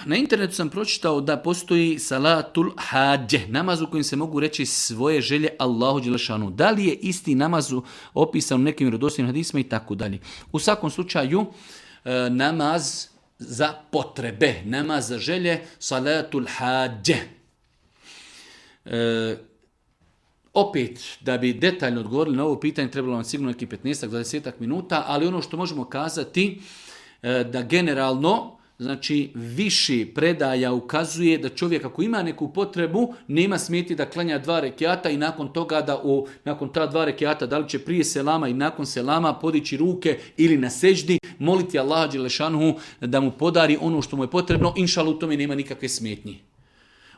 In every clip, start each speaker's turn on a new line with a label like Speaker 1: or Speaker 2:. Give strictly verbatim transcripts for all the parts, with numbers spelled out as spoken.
Speaker 1: Na internetu sam pročitao da postoji salatul hađe, namaz u kojem se mogu reći svoje želje Allahu dželešanu. Da li je isti namaz opisan u nekim vjerodostojnim hadisima i tako dalje. U svakom slučaju namaz za potrebe, namaz za želje, salatul hađe. E, opet, da bi detaljno odgovorili na ovo pitanje, trebalo vam sigurno neki petnaest do dvadeset minuta, ali ono što možemo kazati e, da generalno, znači više predaja ukazuje da čovjek ako ima neku potrebu, nema smjeti da klanja dva rekiata i nakon toga da u, nakon ta dva rekiata, da li će prije selama i nakon selama podići ruke ili na seždi, moliti Allaha dželešanuhu da mu podari ono što mu je potrebno, inšalu u tome nema nikakve smetnje.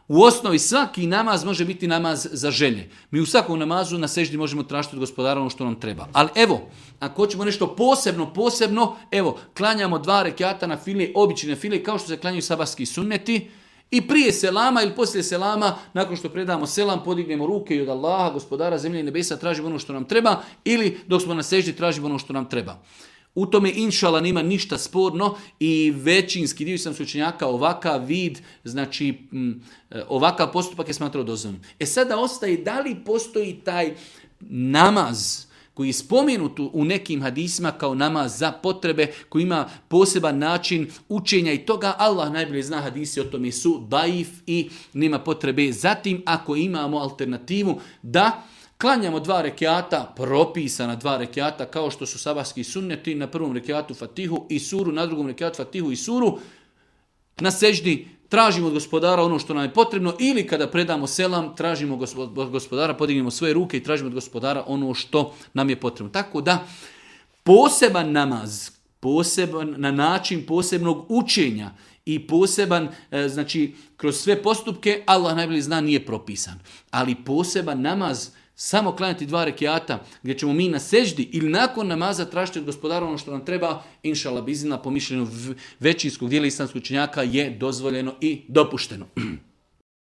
Speaker 1: U osnovi svaki namaz može biti namaz za želje. Mi u svakom namazu na seždi možemo tražiti od gospodara ono što nam treba. Ali evo, ako hoćemo nešto posebno, posebno, evo, klanjamo dva rekiata na file, obične na file, kao što se klanjaju sabahski sunneti, i prije selama ili poslije selama, nakon što predamo selam, podignemo ruke i od Allaha, gospodara zemlje i nebesa, tražimo ono što nam treba, ili dok smo na seždi tražimo ono što nam treba. U tome inšala nema ništa sporno i većinski dio sam učenjaka ovakav vid, znači m, ovakav postupak je smatrao dozvoljenim. E sada ostaje da li postoji taj namaz koji je spomenut u nekim hadisima kao namaz za potrebe, koji ima poseban način učenja i toga. Allah najbolje zna, hadisi o tome su daif i nema potrebe. Zatim ako imamo alternativu da klanjamo dva rekiata, propisana dva rekiata, kao što su sabahski sunneti, na prvom rekiatu Fatihu i suru, na drugom rekiatu Fatihu i suru, na seždi tražimo od gospodara ono što nam je potrebno, ili kada predamo selam, tražimo od gospodara, podignemo svoje ruke i tražimo od gospodara ono što nam je potrebno. Tako da, poseban namaz, poseban na način posebnog učenja i poseban, znači, kroz sve postupke, Allah najbolje zna, nije propisan. Ali poseban namaz, samo klanjati dva rekiata gdje ćemo mi na seždi ili nakon namaza tražiti od gospodara ono što nam treba, inšala bizina, po mišljenju većinskog dijela islamskog učenjaka je dozvoljeno i dopušteno.